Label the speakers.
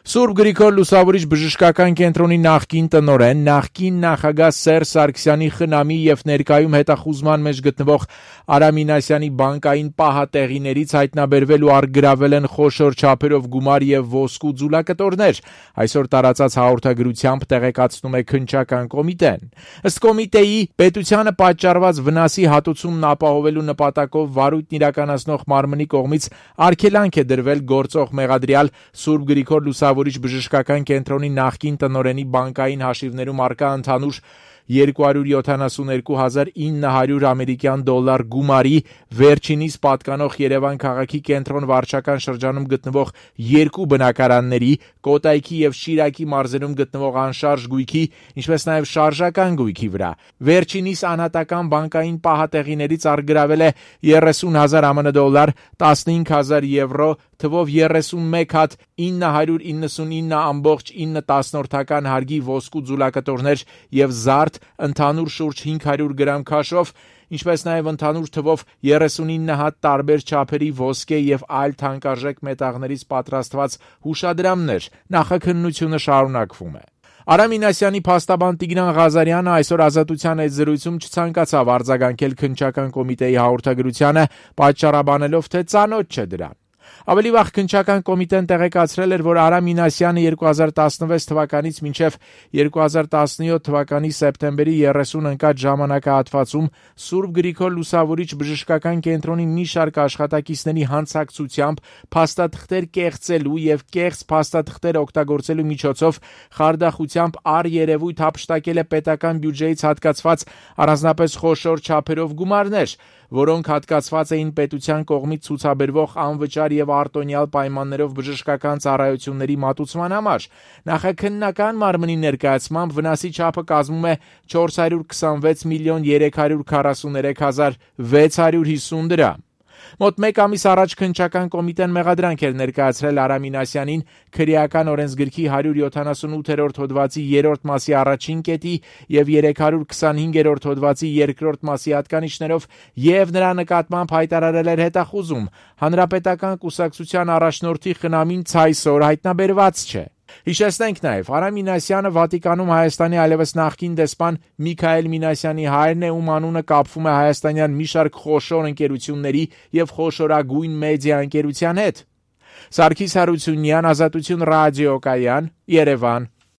Speaker 1: Սուրբ Գրիգոր Լուսավորիչ բժշկական կենտրոնի նախկին տնօրեն, նախկին նախագահ Սերժ Սարգսյանի խնամի եւ ներկայում հետախուզման մեջ գտնվող Արամ Մինասյանի բանկային պահատեղիներից հայտնաբերվել ու առգրավել են խոշոր չափերով գումար եւ ոսկու ձուլակտորներ, այսօր տարածած հաղորդագրությամբ տեղեկացնում է քննչական կոմիտեն։ Ըստ կոմիտեի, պետությանը պատճառված վնասի հատուցումն ապահովելու նպատակով վարույթն իրականացնող մարմնի կողմից արգելանք է դրվել գործող մեղադրյալ Սուրբ Գրիգոր Լուսավորիչ բժշկական կենտրոնի նախկին տնօրենի բանկային հաշիվներում առկա ընդհանուր 272,900 ամերիկյան դոլար գումարի վերջինիս պատկանող Երևան քաղաքի կենտրոն վարչական շրջանում գտնվող երկու բնակարանների, Կոտայքի եւ Շիրակի մարզերում գտնվող անշարժ գույքի, ինչպես նաեւ շարժական գույքի վրա։ Վերջինիս անհատական բանկային պահատեղիներից առգրավել է 30,000 ԱՄՆ դոլար, 15,000 եվրո, թվով 31 հատ 999,9 հարգի ոսկու ձուլակտորներ եւ զարդ ընդհանուր շուրջ 500 գրամ քաշով, ինչպես նաև ընդհանուր թվով 39 հատ տարբեր չափերի ոսկե եւ այլ թանկարժեք մետաղներից պատրաստված հուշադրամներ։ Նախաքննությունը շարունակվում է։ Արամ Մինասյանի փաստաբան Տիգրան Ղազարյանը այսօր Ազատության հետ զրույցում չցանկացավ արձագանքել քննչական կոմիտեի հաղորդագրությանը, պատճառաբանելով, թե ծանոթ չէ դրան։ Ավելի վաղ քննչական կոմիտեն տեղեկացրել էր, որ Արամ Մինասյանը 2016 թվականից մինչև 2017 թվականի սեպտեմբերի 30 ընկած ժամանակահատվածում Սուրբ Գրիգոր Լուսավորիչ բժշկական կենտրոնի մի շարք աշխատակիցների հանցակցությամբ փաստաթղթեր կեղծելու եւ կեղծ փաստաթղթեր օգտագործելու միջոցով խարդախությամբ առերևույթ հափշտակել է պետական բյուջեից հատկացված առանձնապես խոշոր չափերով գումարներ, որոնք հատկացված էին պետության կողմից ցուցաբերվող անվճար եւ արտոնյալ պայմաններով բժշկական ծառայությունների մատուցման համար։ Նախաքննական մարմնի ներկայացմամբ վնասի չափը կազմում է 426,343,650 դրամ։ Մոտ մեկ ամիս առաջ քննչական կոմիտեն մեղադրանք էր ներկայացրել Արամ Մինասյանին քրեական օրենսգրքի 178-րդ հոդվածի 3-րդ մասի առաջին կետի եւ 325-րդ հոդվածի 2-րդ մասի հատկանիշներով եւ նրա նկատմամբ հայտարարել էր հետախուզում։ Հանրապետական կուսակցության առաջնորդի խնամին ցայսօր հայտնաբերված չէ։ Հիշեցնենք նաև, Արամ Մինասյանը Վատիկանում Հայաստանի այլևս նախկին դեսպան Միքայել Մինասյանի հայրն է, ում անունը կապվում է հայաստանյան մի շարք խոշոր ընկերությունների եւ խոշորագույն մեդիա ընկերության հետ։ Սարգիս Հարությունյան, Ազատություն ռադիոկայան, Երևան։